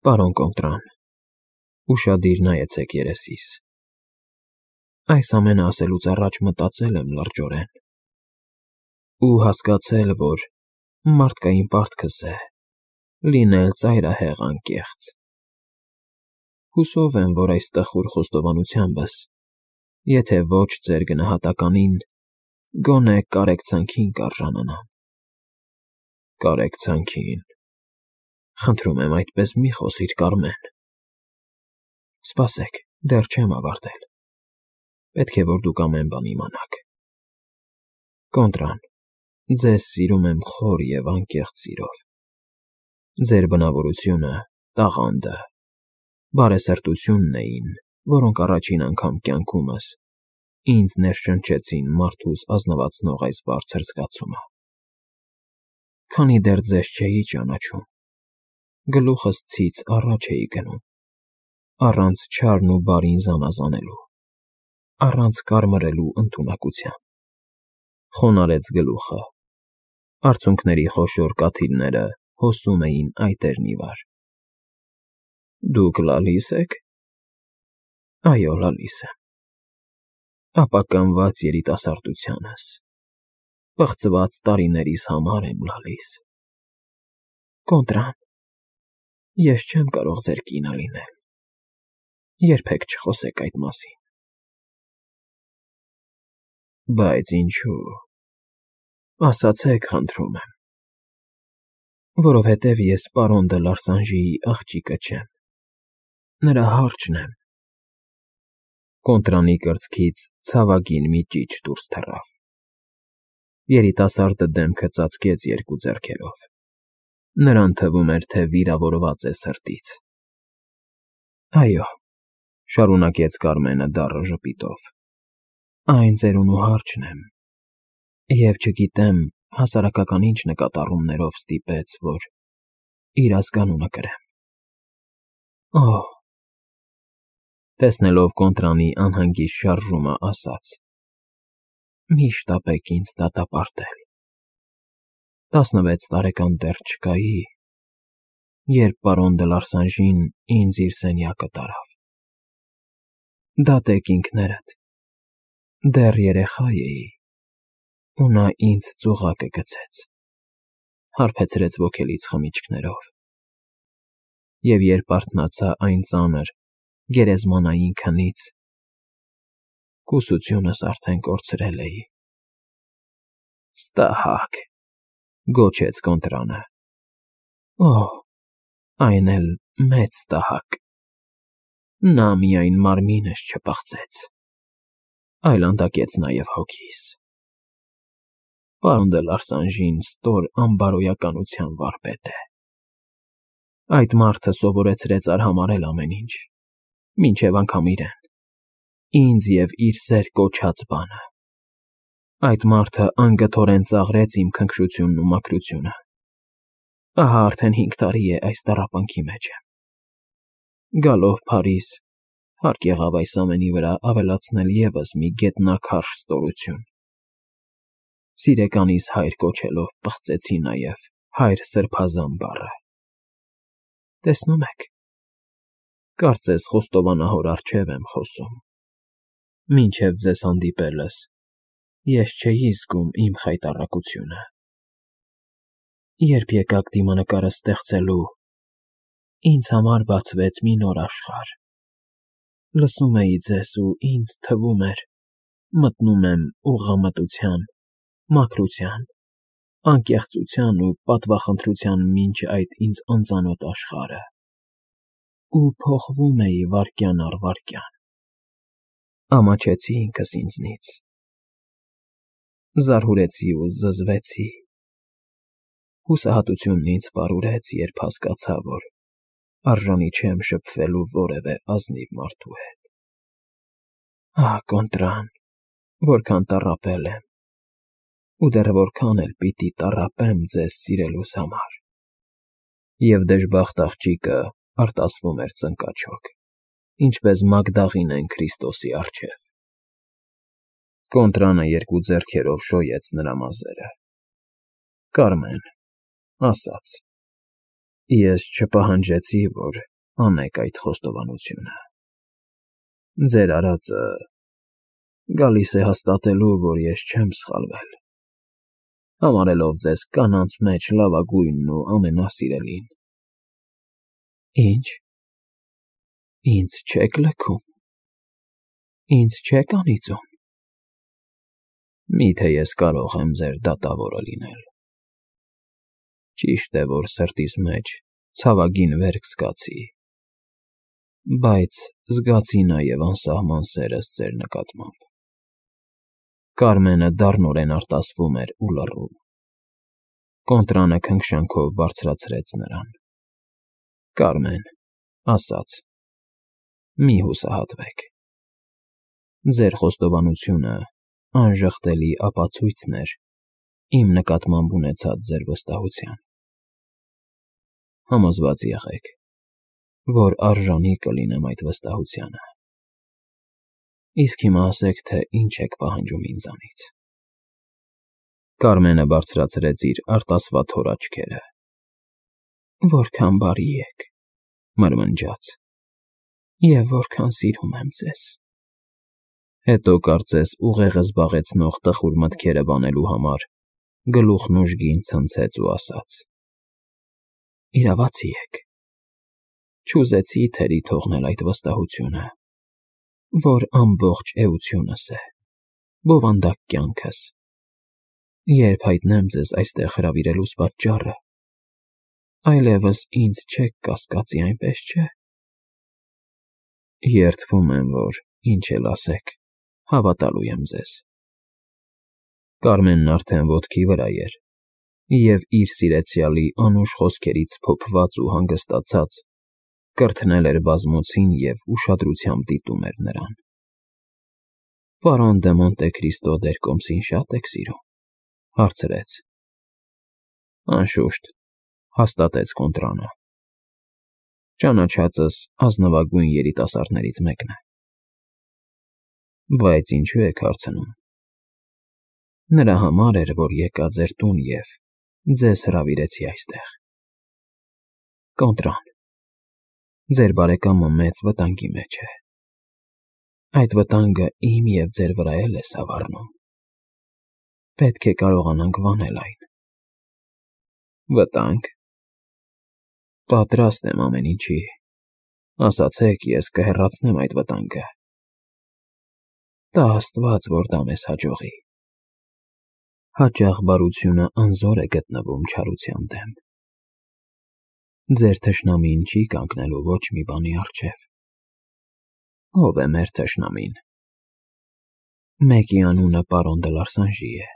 Պարոն Կոնտրան, ուշադիր նայեցեք երեսիս։ Այս ամենը ասելուց առաջ մտածել եմ լրջորեն ու հասկացել, որ մարդկային պարտքս է լինել ծայրահեղ անկեղծ։ Հուսով եմ, որ այս տխուր խոստովանությամբ, եթե ոչ ձեր գնահատականին, գոնե կարեկցանքին կարժանանամ։ Կարեկցանքին… Խնդրում եմ, այդպես մի խոսիր, Կարմեն։ Սպասեք, դեռ չեմ ավարտել։ Պետք է, որ դուք ամեն բան իմանաք։ Կոնտրան, ձեզ սիրում եմ խոր և անկեղծ սիրով։ Ձեր բնավորությունը, տաղանդը, բարեսրտությունն էին, որոնք առաջին անգամ կյանքումս ինձ ներշնչեցին մարդուս ազնվացնող այս բարձր զգացումը։ Քանի դեռ ձեզ չէի ճանաչում, գլուխս ցից առաջ էի գնում, առանց չարն ու բարին զանազանելու, առանց կարմրելու ընդունակության։ Խոնարհեց գլուխը, արցունքների խոշոր կաթիլները հոսում էին այտերն ի վար։ Դուք լալի՞ս եք։ Այո, լալիս եմ։ Ապա կամված երիտասարդությանս, պղծված տարիներիս համար եմ լալիս։ Կոնտրան, ես չեմ կարող ձեր կինը լինել։ Երբեք չխոսեք այդ մասին։ Բայց ինչո՞ւ։ Ասացեք, խնդրում եմ։ Որովհետև ես պարոն դը Լարսանժիի աղջիկը չեմ, նրա հարչն եմ։ Կոնտրանի կրծքից ցավագին մի ճիչ դուրս թռավ։ Երիտասարդը դեմքը ծածկեց երկու ձեռքերով։ Նրան թվում էր, թե վիրավորված է սրտից։ Այո, շարունակեց Կարմենը դառը ժպիտով, այն ծերունու հարչն եմ, և չգիտեմ հասարակական ինչ նկատառումներով ստիպեց, որ իր ազգանունը կրեմ։ Օհ… Տեսնելով Կոնտրանի անհանգիստ շարժումը, ասաց. Մի շտապեք ինձ դատապարտել։ 16 տարեկան դեռ չկայի, երբ պարոն դը Լարսանժին ինձ իր սենյակը տարավ։ Դատեք ինքներդ, դեռ երեխա էի, ու նա ինձ ծուղակը գցեց, հարբեցրեց ոգելից խմիչքներով, և երբ արթնացա այն ծանր գերեզմանային քնից, կուսությունս արդեն կորցրել էի։ Ստահակ… Գոչեց Կոնտրանը։ Օհ, այն էլ մեծ ստահակ… Նա միայն մարմինս չպղծեց, այլանդակեց նաև հոգիս։ Պարոն դը Լարսանժին ստոր անբարոյականության վարպետ է։ Այդ մարդը սովորեցրեց արհամարհել ամեն ինչ, մինչև անգամ իրեն, ինձ և իր սեր կոչած բանը։ Այդ մարդը անգթորեն ծաղրեց իմ քնքշությունն ու մաքրությունը։ Ահա արդեն 5 տարի է այս տառապանքի մեջ եմ։ Գալով Փարիզ, հարկ եղավ այս ամենի վրա ավելացնել ևս մի գետնաքարշ ստորություն։ Սիրեկանիս հայր կոչելով պղծեցի նաև հայր սրբազան բառը։ Տեսնում եք, կարծես խոստովանահոր առջև եմ խոսում։ Մինչև ձեզ հանդիպելս ես չէի զգում իմ խայտառակությունը։ Երբ եկաք դիմանկարը ստեղծելու, ինձ համար բացվեց մի նոր աշխարհ։ Լսում էի ձեզ ու ինձ թվում էր՝ մտնում եմ ուղղամտության, մաքրության, անկեղծության ու պատվախնդրության մինչ այդ ինձ անծանոթ աշխարհը, ու փոխվում էի վայրկյան առ վայրկյան։ Ամաչեցի ինքս ինձնից, զարհուրեցի ու զզվեցի։ Հուսահատությունն ինձ պարուրեց, երբ հասկացա, որ արժանի չեմ շփվելու որևէ ազնիվ մարդու հետ։ Ահ, Կոնտրան, որքան տառապել եմ, ու դեռ որքան էլ պիտի տառապեմ ձեզ սիրելուս համար։ Եվ դժբախտ աղջիկը արտասվում էր ծնկաչոք, ինչպես Մագդաղինեն Քրիստոսի առջև։ Կոնտրանը երկու ձեռքերով շոյեց նրա մազերը։ Կարմեն, ասաց. Ես չպահանջեցի, որ անեք այդ խոստովանությունը։ Ձեր արածը գալիս է հաստատելու, որ ես չեմ սխալվել, համարելով ձեզ կանանց մեջ լավագույնն ու ամենասիրելին։ Ինչ։ Ինձ չեք լքում։ Ինձ չեք անիծում։ Միթե ես կարող եմ ձեր դատավորը լինել։ Ճիշտ է, որ սրտիս մեջ ցավագին վերք զգացի, բայց զգացի նաև անսահման սերս ձեր նկատմամբ։ Կարմենը դառնորեն արտասվում էր ու լռում։ Կոնտրանը քնքշանքով բարձրացրեց նրան։ Կարմեն, ասաց. Մի հուսահատվեք։ Ձեր խոստովանությունը անժխտելի ապացույցն էր իմ նկատմամբ ունեցած ձեր վստահության։ Համոզված եղեք, որ արժանի կլինեմ այդ վստահությանը։ Իսկ հիմա ասեք, թե ինչ եք պահանջում ինձանից։ Կարմենը բարձրացրեց իր արտասվաթ հոր աչքերը։ Որքան բարի եք, մրմնջաց, և որքան սիրում եմ ձեզ։ Հետո կարծես ուղեղը զբաղեցնող տխուր մտքերը վանելու համար գլուխն ուժգին ցնցեց ու ասաց. Իրավացի եք։ Չուզեցի թերի թողնել այդ վստահությունը, որ ամբողջ էությունս է, բովանդակ կյանքս, երբ հայտնեմ ձեզ այստեղ հրավիրելուս պատճառը, այլևս ինձ չեք կասկածի, այնպես չէ։ Երդվում եմ, որ ինչ էլ ասեք, հավատալու եմ ձեզ։ Կարմենն արդեն ոտքի վրա էր, և իր սիրեցյալի անուշ խոսքերից փոփված ու հանգստացած կրթնել էր բազմոցին և ուշադրությամբ դիտում էր նրան։ Պարոն դը Մոնտե Քրիստո դեր կոմսին շա՞տ եք սիրում, հարցրեց։ Անշուշտ, հաստատեց Կոնտրանը։ Ճանաչածս ազնվագույն երիտասարդներից մեկն է։ Բայց ինչու եք հարցնում։ Նրա համար էր, որ եկա ձեր տուն և ձեզ հրավիրեցի այստեղ։ Կոնտրան, ձեր բարեկամը մեծ վտանգի մեջ է։ Այդ վտանգը իմ և ձեր վրա էլ է սավառնում։ Պետք է կարողանանք վանել այն։ Վտանգ։ Պատրաստ եմ ամեն ինչի։ Ասացեք, ես կհեռացնեմ այդ վտանգը։ Տա Աստված, որ դա մեզ հաջողի։ Հաճախ բարությունը անզոր է գտնվում չարության դեմ։ Ձեր թշնամին չի կանգնելու ոչ մի բանի առջև։ Ո՞վ է մեր թշնամին։ Մեկի անունը պարոն դե Լարսանժի է։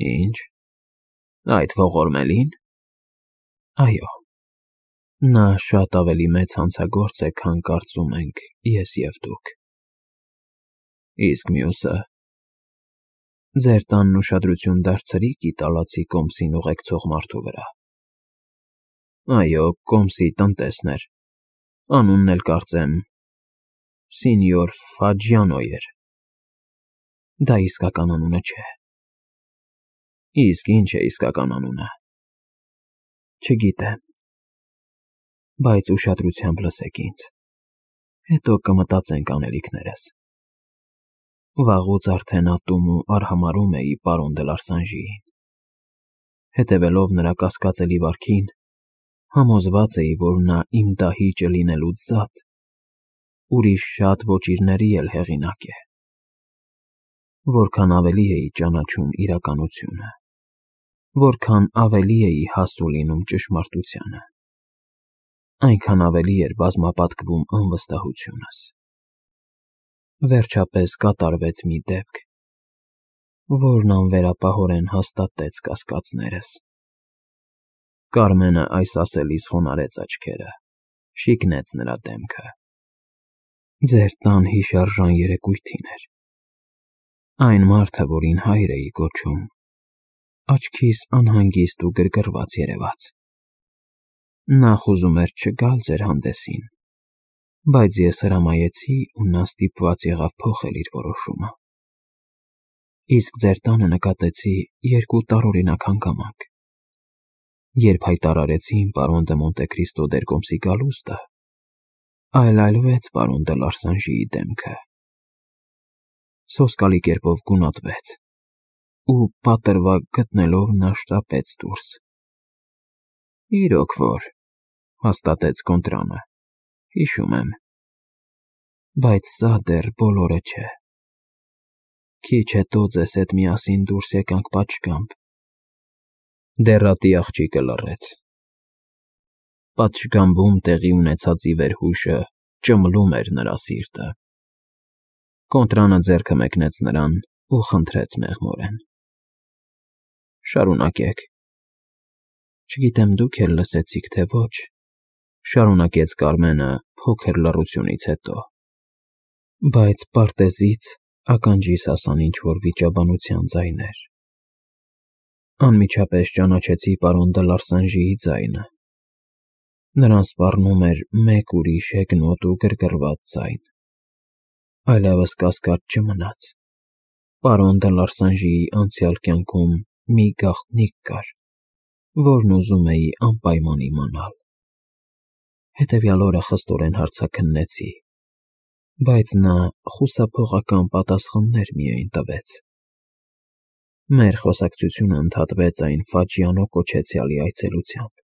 Ինչ։ Այդ ողորմելի՞ն։ Այո։ Նա շատ ավելի մեծ հանցագործ է, քան կարծում ենք ես և դուք։ Իսկ մյուսը։ Ձեր տանն ուշադրություն դարձրի՞ք իտալացի կոմսին ուղեկցող մարդու վրա։ Այո, կոմսի տնտեսն էր, անունն էլ կարծեմ Սինյոր Ֆաջիանո էր։ Դա իսկական անունը չէ։ Իսկ ինչ է իսկական անունը։ Չգիտեմ։ Բայց ուշադրությամբ լսեք ինձ, հետո կմտածենք անելիքներս։ Վաղուց արդեն ատում ու արհամարհում էի պարոն դե Լարսանժիին։ Հետևելով նրա կասկածելի վարքին, համոզված էի, որ նա իմ դահիճը լինելուց զատ, ուրիշ շատ ոճիրների էլ հեղինակ է։ Որքան ավելի էի ճանաչում իրականությունը, որքան ավելի էի հասու լինում ճշմարտությանը, այնքան ավելի էր բազմապատկվում անվստահությունս։ Վերջապես կատարվեց մի դեպք, որն անվերապահորեն հաստատեց կասկածներս։ Կարմենը այս ասելիս խոնարհեց աչքերը, շիկնեց նրա դեմքը։ Ձեր տան հիշարժան երեկույթին էր։ Այն մարդը, որին հայր էի կոչում, աչքիս անհանգիստ ու գրգռված երևաց։ Նախ ուզում էր չգալ ձեր հանդեսին, բայց ես հրամայեցի ու նա ստիպված եղավ փոխել իր որոշումը։ Իսկ ձեր տանը նկատեցի երկու տարօրինակ հանգամանք։ Երբ հայտարարեցին պարոն դե Մոնտեկրիստո Դերկոմսի գալուստը, այլայլվեց պարոն դե Լարսանժիի դեմքը, սոսկալի կերպով գունատվեց, ու պատրվակ գտնելով նա շտապեց դուրս։ Իրոք որ, հաստատեց Կոնտրանը, հիշում եմ, բայց սա դեռ բոլորը չէ։ Քիչ հետո ձեզ հետ միասին դուրս եկանք պատշգամբ։ Դեռատի աղջիկը լռեց։ Պատշգամբում տեղի ունեցածի վերհուշը ճմլում էր նրա սիրտը։ Կոնտրանը ձեռքը մեկնեց նրան ու խնդրեց մեղմորեն. Շարունակեք։ Չգիտեմ դուք էլ լսեցիք, թե ոչ, շարունակեց Կարմենը փոքր լռությունից հետո, բայց պարտեզից ականջիս հասան ինչ-որ վիճաբանության ձայներ։ Անմիջապես ճանաչեցի պարոն դե Լարսանժիի ձայնը։ Նրան սպառնում էր մեկ ուրիշ հեգնոտ ու գրգռված ձայն։ Այլևս կասկած չմնաց։ Պարոն դե Լարսանժիի անցյալ կյանքում մի գաղտնիք կար, որն ուզում էի անպայման իմանալ։ Հետևյալ օրը խստորեն հարցաքննեցի, բայց նա խուսափողական պատասխաններ միայն տվեց։ Մեր խոսակցությունը ընդհատվեց այն Ֆաջիանո կոչեցյալի այցելությամբ։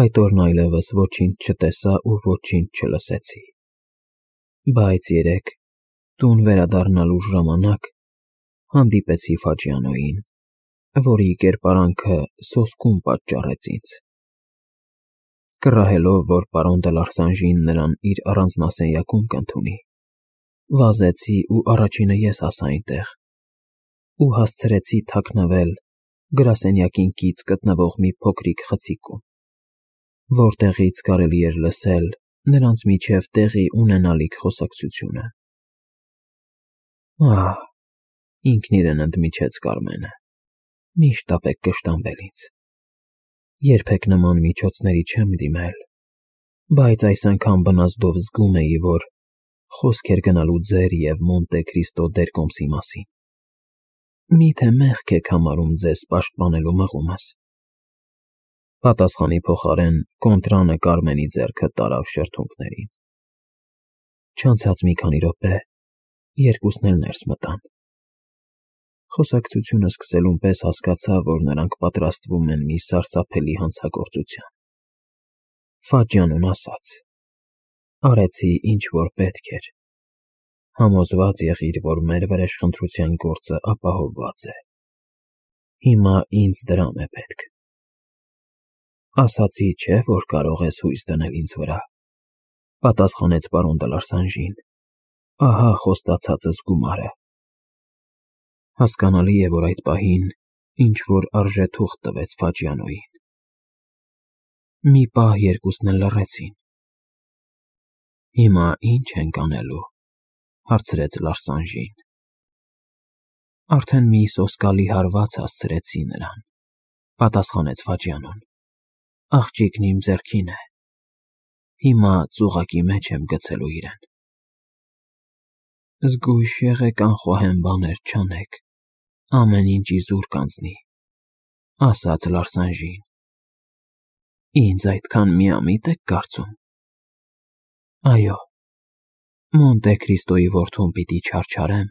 Այդ օրն այլևս ոչինչ չտեսա ու ոչինչ չլսեցի։ Բայց երեկ, տուն վերադառնալու ժամանակ, հանդիպեցի Ֆաջիանոյին, որի կերպարանքը սոսկում պատճառեց ինձ։ Կռահելով, որ պարոն դե Լարսանժին նրան իր առանձնասենյակում կընդունի, վազեցի ու առաջինը ես հասա այնտեղ ու հասցրեցի թաքնվել գրասենյակին կից գտնվող մի փոքրիկ խցիկում, որտեղից կարելի էր լսել նրանց միջև տեղի ունենալիք խոսակցությունը։ Ահ, ինքն իրեն ընդմիջեց Կարմենը, մի շտապեք կշտամբել ինձ։ Երբեք նման միջոցների չեմ դիմել, բայց այս անգամ բնազդով զգում էի, որ խոսք էր գնալու ձեր և Մոնտեկրիստո Դերկոմսի մասին։ Միթե մեղք եք համարում ձեզ պաշտպանելու մղումս։ Պատասխանի փոխարեն Կոնտրանը Կարմենի ձեռքը տարավ շրթունքներին։ Չանցած մի քանի րոպե երկուսն էլ ներս մտան։ Խոսակցությունը սկսելուն պես հասկացա, որ նրանք պատրաստվում են մի սարսափելի հանցագործության։ Ֆաջիանոն ասաց. արեցի, ինչ որ պետք էր։ Համոզված եղիր, որ մեր վրեժխնդրության գործը ապահովված է։ Հիմա ինձ դրամ է պետք։ Ասացի չէ, որ կարող ես հույս դնել ինձ վրա, պատասխանեց պարոն դե Լարսանժին։ Ահա խոստացածս գումարը։ Հասկանալի է, որ այդ պահին ինչ-որ արժեթուղթ տվեց Ֆաջիանոյին։ Մի պահ երկուսն էլ լռեցին։ Հիմա ի՞նչ ենք անելու, հարցրեց Լարսանժին։ Արդեն մի սոսկալի հարված հասցրեցի նրան, պատասխանեց Ֆաջիանոն։ Աղջիկն իմ ձեռքին է։ Հիմա ծուղակի մեջ եմ գցելու իրեն։ Զգույշ եղեք անխոհեմ բաներ չանեք, ամեն ինչ իզուր կանցնի, ասաց Լարսանժին։ Ինձ այդքան միամիտ եք կարծում։ Այո, Մոնտեկրիստոյի որդուն պիտի չարչարեմ,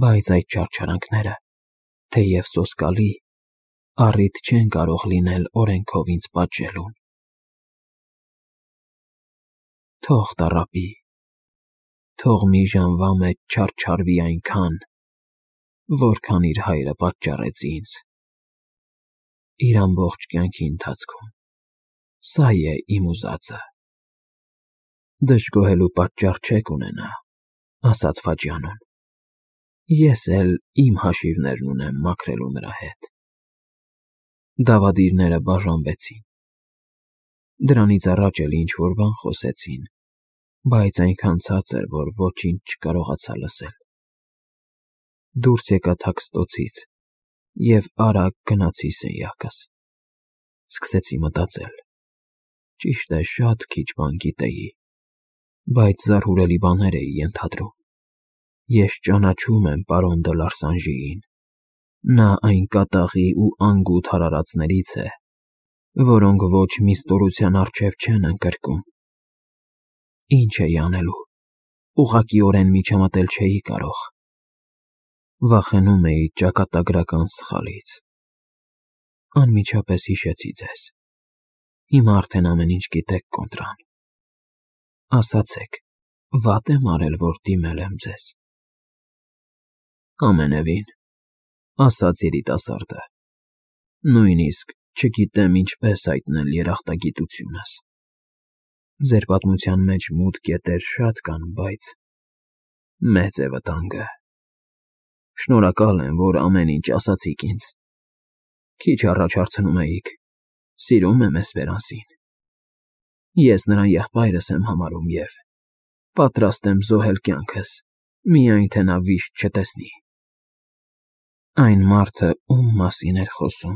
բայց այդ չարչարանքները, թեև սոսկալի, առիթ չեն կարող լինել օրենքով ինձ պատժելուն։ Թող տառապի, թող մի ժամվա մեջ չարչարվի այնքան, որքան իր հայրը պատճառեց ինձ։ Իր ամբողջ կյանքի ընթացքում սա է իմ ուզածը։ Դժգոհելու պատճառ չեք ունենա, ասաց Ֆաջիանոն։ Ես էլ իմ հաշիվներն ունեմ մաքրելու նրա հետ։ Դավադիրները բաժանվեցին։ Դրանից առաջ էլ ինչ-որ բան խոսեցին, բայց այնքան ցածր, որ ոչինչ չկարողացա լսել։ Դուրս եկա թաքստոցից և արագ գնացի սենյակս։ Սկսեցի մտածել։ Ճիշտ է, շատ քիչ բան գիտեի, բայց զարհուրելի բաներ էի ենթադրում։ Ես ճանաչում եմ պարոն դե Լարսանժիին, Նա այն կատաղի ու անգութ արարածներից է, որոնք ոչ մի ստորության առջև չեն ընկրկում։ Ինչ էի անելու, ուղղակիորեն միջամտել չէի կարող։ Վախենում էի ճակատագրական սխալից։ Անմիջապես հիշեցի ձեզ։ Հիմա արդեն ամեն ինչ գիտեք, Կոնտրան։ Ասացեք, վատ եմ արել, որ դիմել եմ ձեզ։ Ամենևին, ասաց երիտասարդը, նույնիսկ չգիտեմ ինչպես հայտնել երախտագիտությունս։ Ձեր պատմության մեջ մութ կետեր շատ կան, բայց մեծ է վտանգը։ Շնորհակալ եմ, որ ամեն ինչ ասացիք ինձ։ Քիչ առաջ հարցնում էիք. սիրո՞ւմ եմ Էսպերանսին։ Ես նրան եղբայրս եմ համարում և պատրաստ եմ զոհել կյանքս, միայն թե նա վիշտ չտեսնի։ Այն մարդը, ում մասին էր խոսում,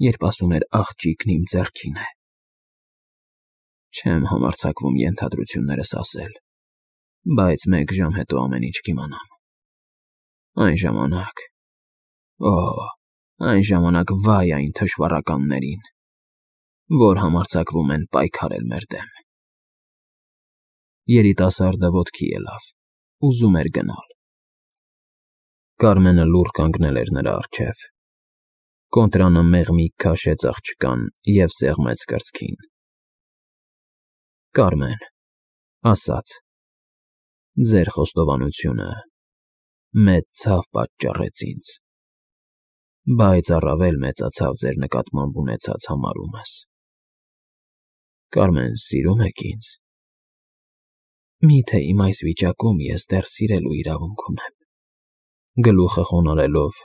երբ ասում էր աղջիկն իմ ձեռքին է։ Չեմ համարձակվում ենթադրություններս ասել, բայց մեկ ժամ հետո ամեն ինչ կիմանամ։ Այն ժամանակ… այն ժամանակ վայ այն թշվառականներին, որ համարձակվում են պայքարել մեր դեմ։ Երիտասարդը ոտքի ելավ, ուզում էր գնալ։ Կարմենը լուռ կանգնել էր նրա առջև։ Կոնտրանը մեղմիկ քաշեց աղջկան և սեղմեց կրծքին։ Կարմեն, ասաց. ձեր խոստովանությունը մեծ ցավ պատճառեց ինձ, բայց առավել մեծացավ ձեր նկատմամբ ունեցած համարումս։ Կարմեն, սիրո՞ւմ եք ինձ։ Միթե իմ այս վիճակում ես դեռ սիրելու իրավունք ունեմ։ Գլուխը խոնարհելով,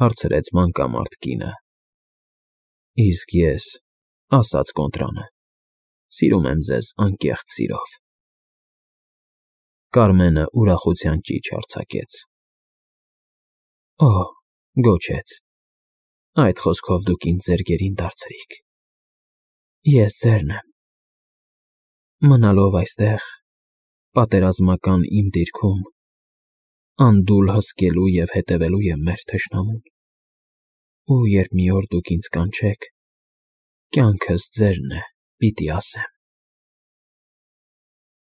հարցրեց մանկամարդ կինը։ Իսկ ես, ասաց Կոնտրանը, սիրում եմ ձեզ անկեղծ սիրով։ Կարմենը ուրախության ճիչ արձակեց։ Գոչեց, այդ խոսքով դուք ինձ ձեռքերին դարձրիք։ Ես ձերն եմ։ Մնալով այստեղ, պատերազմական իմ դիրքում, անդուլ հսկելու և հետևելու եմ մեր թշնամուն, ու երբ մի օր դուք ինձ կանչեք, կյանքս ձերն է, պիտի ասեմ։